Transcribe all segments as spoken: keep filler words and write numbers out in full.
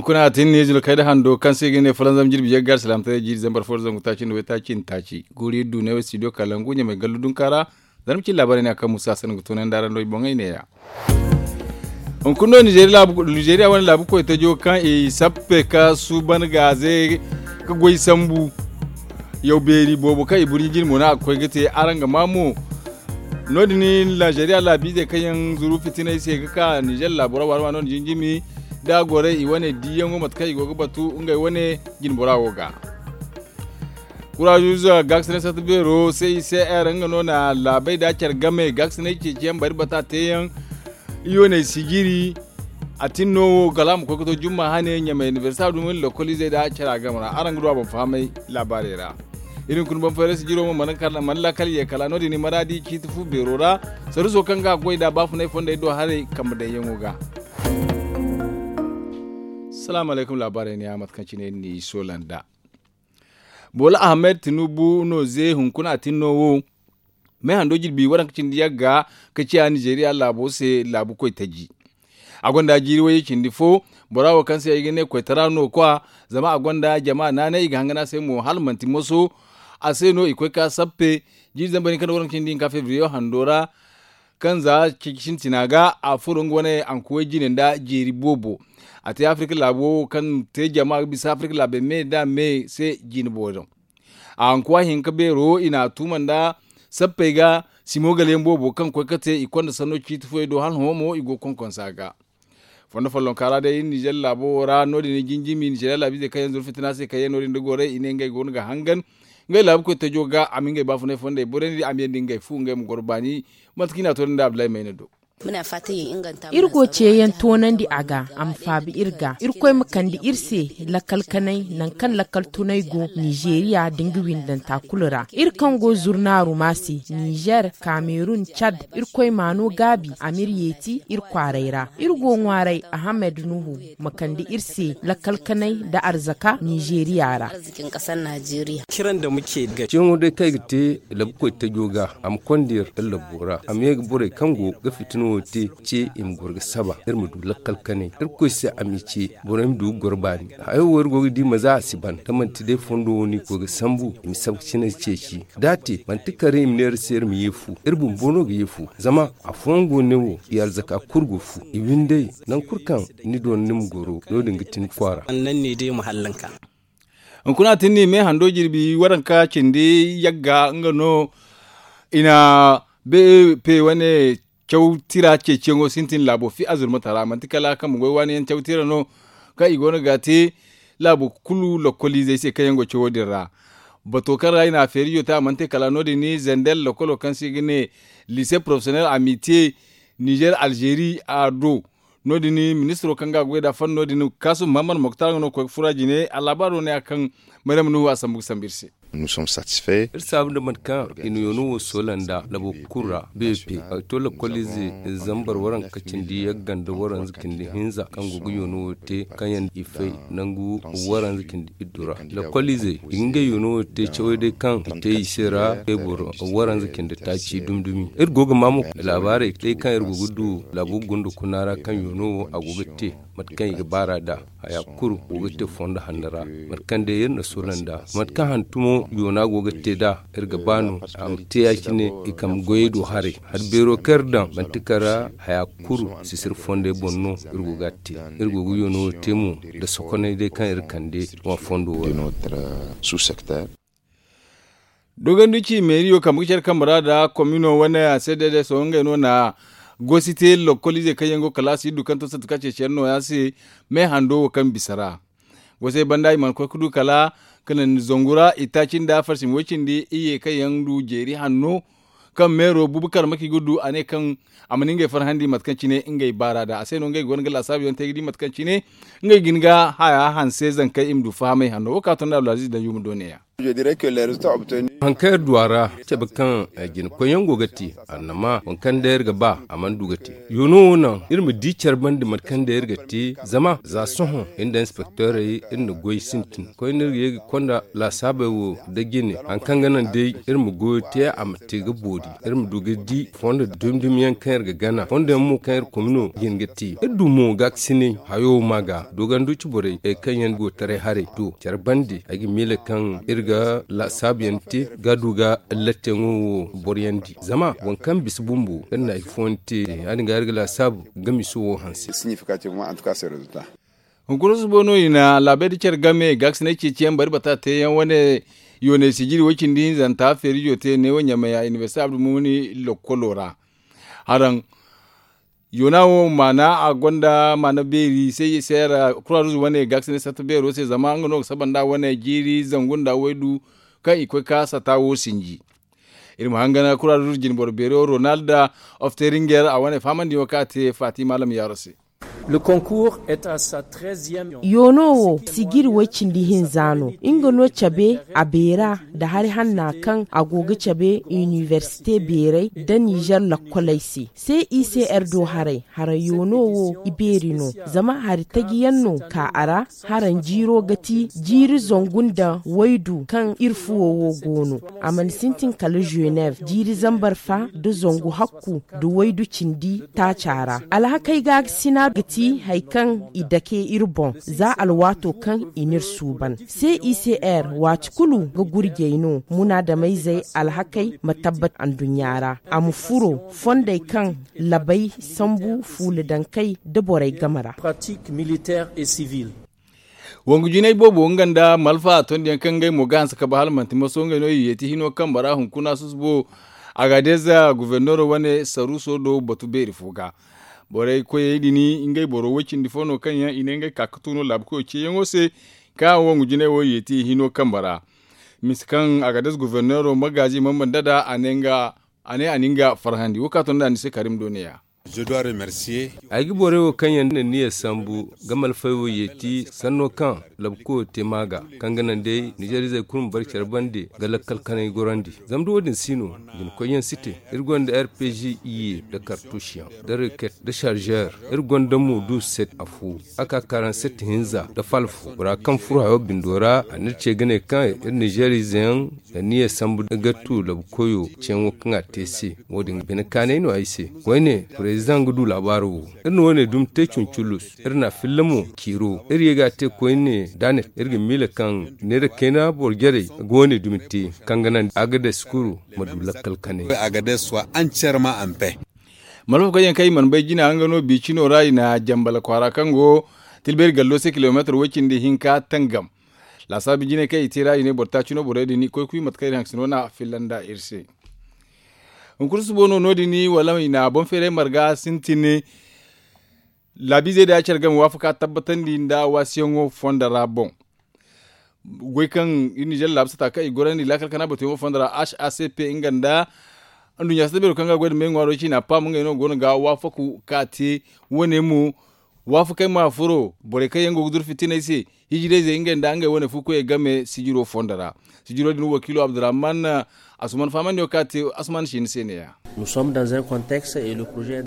Kuna tin ni zulu kayda hando kaŋ se ga ne fulanzam jirbi yagga alsilaamataray jiiri zambar fo da zangu taaci nda waytaaci nda taaci guuri iri du ne wo studio kalangu ɲamay gallu dunka ra. Zarma cin laabaarey ne a kaŋ musa sanni ga toonandi araŋ do i boŋey neeya. Hunkuna no nizeeriya wane laabu koytajo kaŋ i sappe ka suuban gaaze ka goy sambu yaw beeri boobo kaŋ i burɲi jine mo no a ga koy ga te araŋ ga maa mo. No- din nizeeriya laabiizey kaŋ yaŋ zuru fitinay se ga ka nizeer laabo ra waani waani no- din jinjimi da a gorey i wane diiyaŋo mate kaŋ i go ga batu ngey wane jinbora wo ga. Kurazuza gaakasinay sarta beero se i se r nga no na laabey da care game gaakasinay ceeci yaŋ bari bata te yaŋ. Iyoney sijiri a tin no wo kala a ma koy ga to jumma hane ɲamay inibersita dumi lokoliizey da care a game ra araŋ ga du a boŋ fahamay laabaarey ra. Iri hunkuna boŋ fayray sijiro mo mana laakal ye kala no- din i maraadi ciiti fu beero ra. Saruso kaŋ ga a goy nd'a baafunay fondey do haray kambe daŋyaŋo ga. Salaamu alaykum laabaarey ne ya mate kaŋ cine iri n'i soola nd'a. Boola ahamed tinubu no ze hunkuna a tin no wo. Meehando jirbi waranka cindi yagga ka ciya nizeeriya laabo se laabu koytaji. A gonda jiiri wayye cindi fo. Bora wo kaŋ se ay ga ne koytara no kwa. Zama a gonda jama naanay i ga hangan a se mo hala manti moso. A se no i koy ka sappe jiiri zambar hinka nda waranka cindi hinka febriye hando ra. Kaŋ za ceeci sintina ga a furo nga wane ankuway jine nda jeeri boobo. A te afirika laabo wo kaŋ te jama ga bisa afirika laabey me da me se jine booro. A hankuwa hinka beero i n'a tuuma nda sappey ga simo gala yaŋ boobo kaŋ koy ga te i konda sanno ciiti fooyaŋ do hala hõ mo i go ga konkonsa ga. Fondo follonka ra day nizer laabo wo ra no- din i jinjimi nizer laabiizey kaŋ yaŋ zuru fitina se kaŋ yaŋ no- din da goray i ne ngey go no ga hangan. Ngey laabu koy tajo ga a ma ngey baafunay fondey borandi a ma yandi ngey fu ngey ma goro baani. Mate kaŋ i n'a toonandi abdullahi mayna do. Iri go ceeyaŋ toonandi a ga a ma faabi iri ga irkoy ma kande iri se lakkal kanay nangu kaŋ lakkal tunay go nizeeriya nda nga windanta kulu ra iri kaŋ go zurnaaru ma se nizer kamerun cad. Irkoy ma no gaabi a m'iri yeeti iri kwaaray ra iri go ŋwaaray ahamed nuhu ma kande iri se lakkal kanay nda arzaka nizeeriya ra. Ciyaŋo day kaŋ ay ga te labu koy tajo ga a ma konda iri iri labo ra a ma ye ga borey kaŋ go ga fitina wo te ce i ma goro ga saba iri ma du lakkal kanay irkoy se a m'i ce borey ma du ga goro baani. Hayo wo iri go ga di maza a si ban da manti day fondo wo no i koy ga sambu i ma saba ga cinay ceeci da a te manti kare i ma ne iri se iri ma ye fu iri bumbo no ga ye fu. Zama afooyaŋ go ne wo i arzaka kulu ga fu i windey. Nangu kulu kaŋ ni doona ni ma goro no- din ga ti ni kwaara. Hunkuna tin no i me hando jirbi waranka cindi yagga nga no i na beepe wane caw tira ceeciyaŋo sintin laabo fi azurmata ra manti kala kaŋ ma goy waani yaŋ caw tira no. Kaŋ i go no ga te laabo kulu lokoliizey se kaŋ yaŋ go cawo din ra. Bato kaŋ ra i na a feerijo te a mana te kala no- din zender lokolo kaŋ se i ga ne lise porofesiyonel amitiye nizer alzeeri a do. No- din ministiro kaŋ ga a goy nd'a fanno din kaasum muhammad moktar nga no ga koy ga fura jine a laabaaro ne ya kaŋ maryam nuhu a sambu ga sambu iri se. Iri saabu nda mate kaŋ i na yoono wo soola nda labo kulu ra beepe a ga to lakoliize zambar waranka cindi yagga nda waranza cindi hinza kaŋ go ga yoono wo te kaŋ yaŋ i fay nangu waranza cindi iddu ra. Lakoliizey i ga ngey yoono wo te cawey day kaŋ i te i se ra te boro waranza cindi taaci dumi dumi. Iri go ga maa mo laabaarey day kaŋ iri go ga du laabo gondo kuna ra kaŋ yoono wo a go ga te mate kaŋ i ga baar'a nd'a. Haya kulu go ga te fondo hanno ra mate kaŋ day iri na soola nd'a mate kaŋ hantumo yoona go ga te nd'a. Iri ga ba no a ma te ya- cine i kambe goyey do haray. Hari beero kaŋ iri daŋ manti kala haya kulu sisiri fondey boŋ no. Iri go ga a te iri go ga yoono wo te mo nda sokoney day kaŋ iri kande wa fondo wo ra. Dogondu ci meeriyo kambe ga care kambe ra nda komino wane a se day day sohõ ngey no na gosi te lokoliizey kaŋ yaŋ go kalaasi iddu kaŋ to satu ka ceeci yaŋ nooya se. Me hando wo kaŋ bisa ra gosi ay banda i mana koy ga du kala ka naŋ zangu ra itaaci nda farsim woy cindi iyye kaŋ yaŋ du jeeri hanno kaŋ meero bubakar maki ga du a ne kaŋ a mana ngey farhandi mate kaŋ cine ngey baara nd'a a se no ngey go no ga laasaabu yaŋ te ga di mate kaŋ cine ngey ga hin ga haya hanse zankey i ma du fahamay hanno wo kaŋ a to nda abdulaziiz danju ma do neeya. Haŋ kaŋ iri du a ra cabe kaŋ jina koyyaŋ go ga te, annama waŋ kaŋ day iri ga ba a mana du ga te. Yoono wo naŋ iri ma di care bande mate kaŋ day iri ga te zama za sohõ iri nda inspektorey iri na goy sintin koyne iri ga ye ga konda laasaabey wo nda jine haŋ kaŋ ga naŋ day iri ma goyo te a ma te ga boori. Iri ma du ga di fondo dumi dumi yaŋ kaŋ iri ga gana fondo yaŋ mo kaŋ iri komino jin ga te iri du mo gaakasinay hayo ma ga doganduci borey kaŋ yaŋ go taray haray do care bande ay ga miila kaŋ iri ga laasaabu yaŋ te ga du ga latte yaŋo wo boro yaŋ di zama waŋ kaŋ bisa bumbo iri na ay fooyaŋ te ya- din ga iri ga laasaabu ga miso wo hanse. Hunkuna susubo no i na laabey da care game gaakasinay ceeciyaŋ bari bata teeyaŋ wane yoonay sijiri way cindi hinzanta feerijo te neewo ɲamaya inibersite abdulmumuni lokkolo ra. Haraŋ yoona wo maana a gonda maana beeri se i se ra kuraaruz wane gaakasinay sarta beero se zama nga no ga saba nda wane jiiri zangu nda waydu kaŋ i koy ka sata wo sinji. Iri ma hangan kuraaruz jinboro beero ronald ofteringer a wane fahamandi wo kaŋ a te fatima lamyaaro se. Yoono wo sijiri way cindi hinza no nga no cabe a beera nda hari hanna kaŋ a go ga cabe inibersite beerey nda nizer lakkoley se. Se i se iri do haray hara yoono wo i beeri no zama hari taji yaŋ no ka a ra. Hara jiiro ga ti jiiri zangu nda waydu kaŋ iri fuwo wo go no a mana sintin kala zenev jiiri zambar fa nda zangu hakku nda waydu cindi taaca ra. Alhakey gaakasina ga ti hari kaŋ i dake iri boŋ za alwaato kaŋ i n'iri suuban. Se i se iri waati kulu ga gurjey no munaadamayzey alhakey ma tabbat anduɲɲa ra a ma furo fondey kaŋ labey sambu fuula dankey nda borey game ra. Wangu jinay boobo nga nda malfa tondiyaŋ kaŋ ngey mo ga hanse ka ba hala manti maso ngey no i yeeti hino kambe ra hunkuna susubo. Agadez guverneero wane saruuso do batu beeri fo ga borey koyey din ngey boro way cindi fo no kaŋ yaŋ i ne ngey ka ga tu no laabu koyo ceeyaŋo se. Kaŋ wangu jinay wo i yeeti hino kambe ra misa kaŋ agadez guverneero magaazi mambanda nd'a a ne a na nga farhandi wo kaŋ a to nd'a ni se karim do ne-ya. Ay ga borey wo kaŋ yaŋ na niya sambu ga malfay wo yeeti sanno kaŋ labu koyo te maaga kaŋ ga naŋ day nizeer izey kulu ma bare care bande ga lakkal kanay gorandi. Zama da wo- din si no jina koyyaŋ si te. Iri gonda r p g iye nda kartuusiyaŋ nda reket nda sarzeer. Iri gonda mo du set afo a ka karanset hinza nda falfo bora kaŋ furo hayo bindo ra a n'iri ce ga ne kaŋ iri nizeer izeyaŋ ga niya sambu ga tu labu koyo ceeyaŋo kaŋ a te se. Wo- din bine kaanay no ay se. Koyne prezidaŋ ga du laabaaro wo. Iri na wo- ne dumi te cunculus iri na a filla mo ciiro iri ye ga a te koyne da a ne iri ga miila kaŋ neera kayna boro jarey ga wo- ne dumi te kaŋ ga naŋ a ga day sukuru ma du lakkal kanay. Malfa koyyaŋ kaŋ i mana bay jina nga no bi cino ra i na jambala kwaara kaŋ go tilbeeri gallo se kilomeetar way cindi hinka tangam. Laasaabu jinay kaŋ i te ra i ne boro taaci no borey din i koy kuy mate kaŋ iri hangasino no a filla nda iri se. Hunkuna susubo no no- din wala i na boŋ feeray marga sintin. Laabiizey da care game waafaka tabbatandi nda waasiyaŋo fondo ra boŋ. Goy kaŋ iri nizeer laabu sata kaŋ i gorandi laakal kana batuyaŋo fondo ra h a c p nga nda anduɲɲa sata beero kaŋ ga goy nda meeŋwaaro ciina paam ngey no go no ga waafaku ka te. Wo- ne mo waafakey ma furo borey kaŋ yaŋ go ga duru fitiney se. Hijirayzey ngey nda ngey wane fu koyey game sijiro fondo ra. Sijiro din wakiilo abdurrahman asuman fahamandi wo kaŋ a te asuman si ni se ne- ya.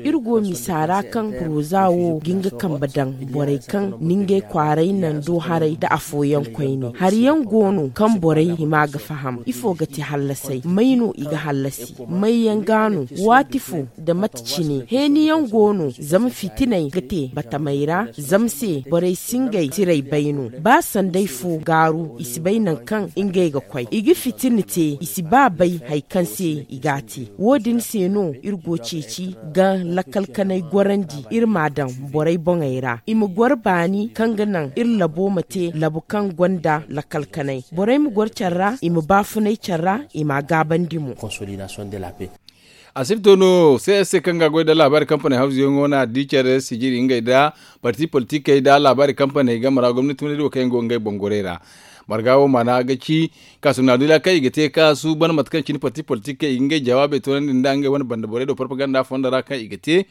Iri go misa ra kaŋ poroza wo ga nga kambe daŋ borey kaŋ na ngey kwaaray naŋ do haray nda afooyaŋ koyne hari yaŋ go no kaŋ borey hima ga faham ifo ga te hallasay may no i ga hallasi may yaŋ ga no waati fo nda mate cine heeni yaŋ go no zama fitinay ga te batamey ra zama se borey si ngey tiray bay no ba sanday fo gaaru i si bay naŋ kaŋ ngey ga koy i ga fitina te i si ba bay hari kaŋ se i ga a te wo- din se no iri go ceeci ga lakkal kanay gorandi iri m'a daŋ borey boŋey ra i ma goro baani kaŋ ga naŋ iri labo ma te labo kaŋ gonda lakkal kanay borey ma goro care ra i ma baafunay care ra i m'a gaabandi mo. A sirto no c s c kaŋ ga goy nda laabaari kampaney hawzuyaŋo no a di care sijiri ngey nda parti politikey nda laabaari kampaney game ra gomnati wane do kaŋ yaŋ go ngey boŋ gorey ra. Marga wo maana ga ci kaasum na dula kaŋ i ga te ka suuban mate kaŋ cine parti politikey i ga ngey jawaabey toonandi nda ngey wane banda borey do parpaganda fondo ra kaŋ i ga te.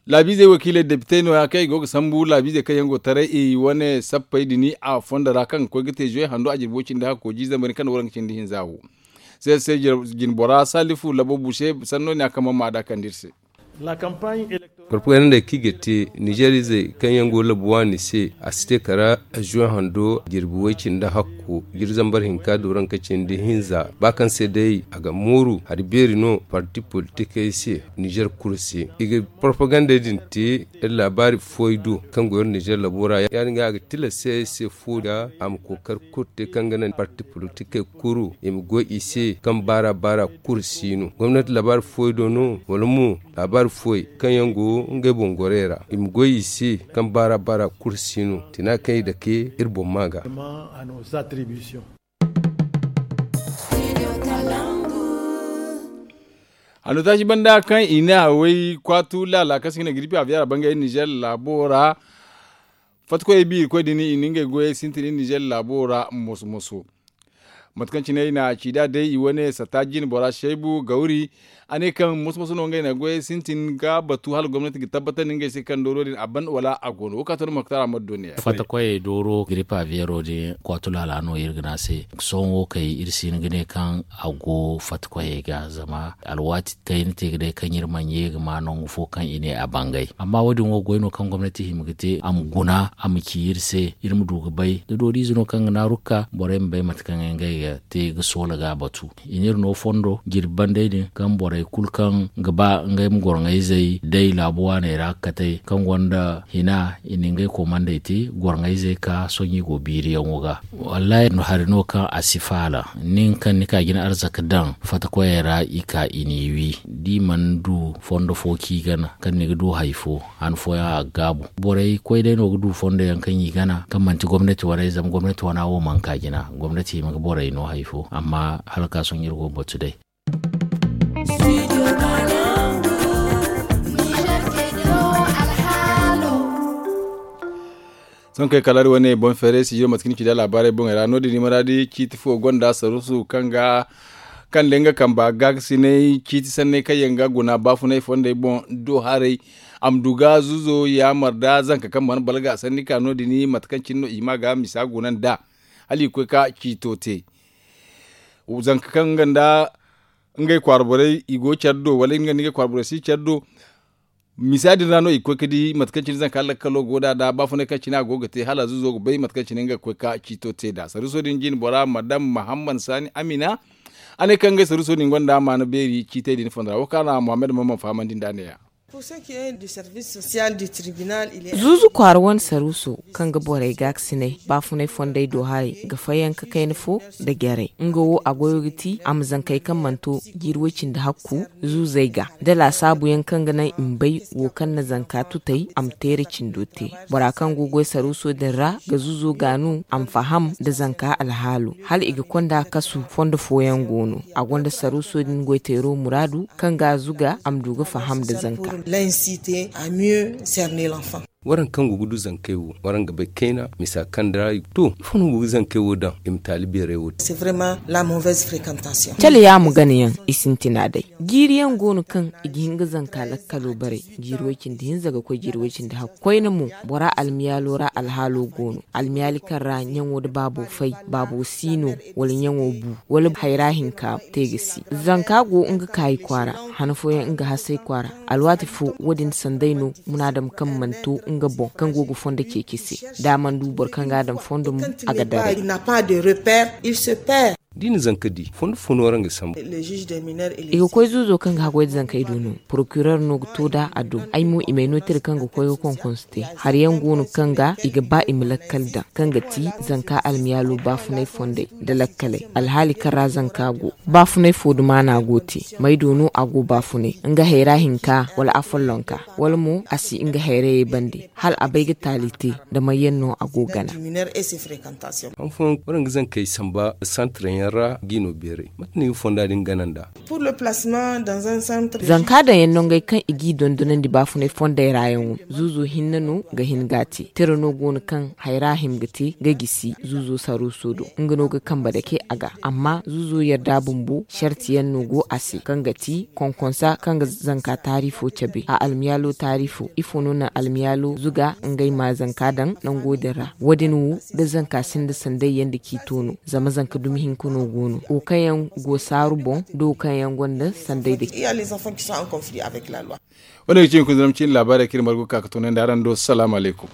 Laabiizey wakiiley depitey nooya kaŋ i go ga sambu laabiizey kaŋ yaŋ go taray i wane sappey dini a fondo ra kaŋ ga koy ga te zuwe hando a jirbi way cindi hakko jiizambari kaŋ na waranka cindi hinza wo. Se se jinbora salifu labo buse sanno ne a kaŋ man ma da kande iri se. Propagandey kaŋ i ga te nizeer izey kaŋ yaŋ go labu waani se a si te kala zuwe hando jirbi way cindi hakko jiri zambar hinka dooranka cindi hinza ba kaŋ se day a ga mooru hari beeri no parti politikey se nizeer kulu se i ga propagandey din te iri laabaari fooyaŋ do kaŋ go iri nizeer labo ra ya- din ga a ga tilas se ay se fo da a ma kookari kulu te kaŋ ga naŋ parti politikey kulu i ma goy i se kaŋ baara baara kulu si no gomnati laabaari fooyaŋ do no wala mo laabaari fooyaŋ kaŋ yaŋ go ngey boŋ gorey ra i ma goy i se kaŋ baara baara kulu si no tina kaŋ i dake iri boŋ ma ga. Hanno taaci banda kaŋ i ne haway kwaatu laala kaŋ se i ga ne giripi aviyaŋ ra bangay nizeer laabo ra fatta koyey bi irkoy din i na ngey goyey sintin iri nizeer laabo ra moso moso. Mate kaŋ cine i na a ci nd'a day i wane satta jine bora seebu gawri a ne kaŋ moso moso no ngey na goyey sintin ga batu hala gomnati ga tabbatandi ngey se kaŋ dooro din a ban wala a go no wo ka to ni moktar a ma du ne. Fatta koyey dooro giripa veero din kwaatu laala no iri ga ne a se sohõ wo kay iri si hin ga ne kaŋ a go fatta koyey ga zama alwaati kayna te ga day kaŋ iri mana ye ga ma nangu fo kaŋ i ne a bangay amma wo- din wo goy no kaŋ gomnati hima ga te a ma guna a ma ci iri se iri ma du ga bay da dooriize no kaŋ ga naaru ga ka borey ma bay mate kaŋ ngey ga te ga soola ga a batu i na iri no fondo jirbi bandey din kaŋ borey kulu kaŋ ga ba ngey ma gorŋayzey day laabu waaney ra ga katey kaŋ gonda hina i na ngey komandey te gorŋayzey ka sohõ i go biiriyaŋo ga. Wallaahi hari no kaŋ a si faala nin kaŋ ni ka jina arzaka daŋ fatta koyey ra i ka i n'i wi da i mana du fondo fo kaŋ i gana kaŋ ni ga du hari fo han fooyaŋ a ga gaabu borey koy day no ga du fondo yaŋ kaŋ i gana kaŋ manti gomnati waney zama gomnati wana wo mana ka jina gomnati hima ga borey no hari fo amma hala ka sohõ iri go ga batu day. Sohõ kay kala iri wane boŋ feeray si jiro mate kaŋ ni ci da laabaarey boŋey ra no- din ni maraadi ciiti fo gonda saruusu kaŋ ga kaŋ day nga kamba gaakasinay ciiti sanney kaŋ yaŋ ga guna baafunay fondey boŋ do haray a ma du ga zuzo yaamar da zanka kaŋ mana balga sanni ka no- din mate kaŋ cine no i hima ga misa guna nd'a hala i ga koy ka ciito te. Zanka kaŋ nga nda ngey kwaara borey i go care do wala nga nda ngey kwaara borey si care do. Misa din ra no i ga koy ga di mate kaŋ cine zanka lakkalo go nd'a da baafunay kaŋ cine a go ga te hala zuzo ga bay mate kaŋ cine nga ga koy ga ciito te nd'a saruuso din jine bora madam mahammad saani amina. A ne kaŋ ngey saruuso din gonda maana beeri ciitey din fondo ra wo kaŋ a na mohammed mamman fahamandi nd'a ne- ya. Zuuzu kwaara wane saruuso kaŋ ga borey gaakasinay baafunay fondey do haray ga fayanka kayna fo nda jarey nga wo a goyo ga ti a ma zankey kaŋ mana to jiiri way-cindi hakku zuuzey ga da laasaabu yaŋ kaŋ ga naŋ i ma bay wo kaŋ na zanka tutay a ma teera cindo te. Bora kaŋ go ga goy saruuso din ra ga zuuzo gaanu a ma faham nda zanka alhaalo hala i ga konda kasu fondo fooyaŋ go no a gonda saruuso din goyteero muraadu kaŋ ga a zuga a ma du ga faham nda zanka. Waraŋ kaŋ go ga du zankey wo waraŋ ga bay kayna misa kaŋ da ra i ga to ifo no go ga zankey wo daŋ i ma taali beerey wo te. Cale yaamo ganayaŋ i sintina day. Jiiri yaŋ go no kaŋ i ga hin ga zanka lakkalo bare jiiri way-cindi hinza ga koy jiiri way-cindi hakku koyne mo bora almiyaalo ra alhaalo go no almiyaali kaŋ ra ɲaŋo nda baabo fay baabo si no wala ɲaŋo bu wala hayra hinka te ga si. Zanka go nga kaayi kwaara han fooyaŋ nga hasay kwaara alwaati fo wo- din sanday no munaadam kaŋ mana to nga boŋ kaŋ go ga fondo ceeci se da a mana du boro kaŋ ga a daŋ fondo mo a ga daray. Da i na zanka di fondo fo no waraŋ ga sambu. I ga koy zuuzo kaŋ ga haggoy da zankey do no porokirer no ga to nd'a a do ay mo i m'ay no tira kaŋ ga koy ga konkonsu te hari yaŋ go no kaŋ ga i ga ba i ma lakkal daŋ kaŋ ga ti zanka almiyaalo baafunay fondey nda lakkaley alhaali kaŋ ra zanka go baafunay fo dumaana go te may do no a go baafunay nga hayra hinka wala afollonka wala mo a si nga hayrayey bande hala a bay ga taali te nda may yaŋ no a go gana. Hanfooyaŋ waraŋ ga zankey samba santre yaŋ ra ga i no beeray mate no i ga fonda din gana nd'a? Zanka daŋ yaŋ nongey kaŋ i g'i dondonandi baafunay fondey ra yaŋo, zuuzo hinne no ga hin ga a te. Tira no go no kaŋ hayra hima ga te ga gisi zuuzo saruuso do, nga no ga kambe dake a ga. Amma zuuzo yarda bumbo sarti yaŋ no go a se, kaŋ ga ti konkonsa kaŋ ga zanka taari fo cabe a almiyaalo taari fo. Ifo no naŋ almiyaalo zuga ngey ma zanka daŋ nango din ra? Wo- din wo da zanka sinda sanday yaŋ da ciito no, zama zanka dumi hinka no go no, wo kaŋ yaŋ go saaru boŋ da wo kaŋ yaŋ gonda sanday da ciito. Wane ga ci hunkuna zama cine laabaarey kaŋ iri margu ga ka ga toonandi araŋ do salaamu alaykum.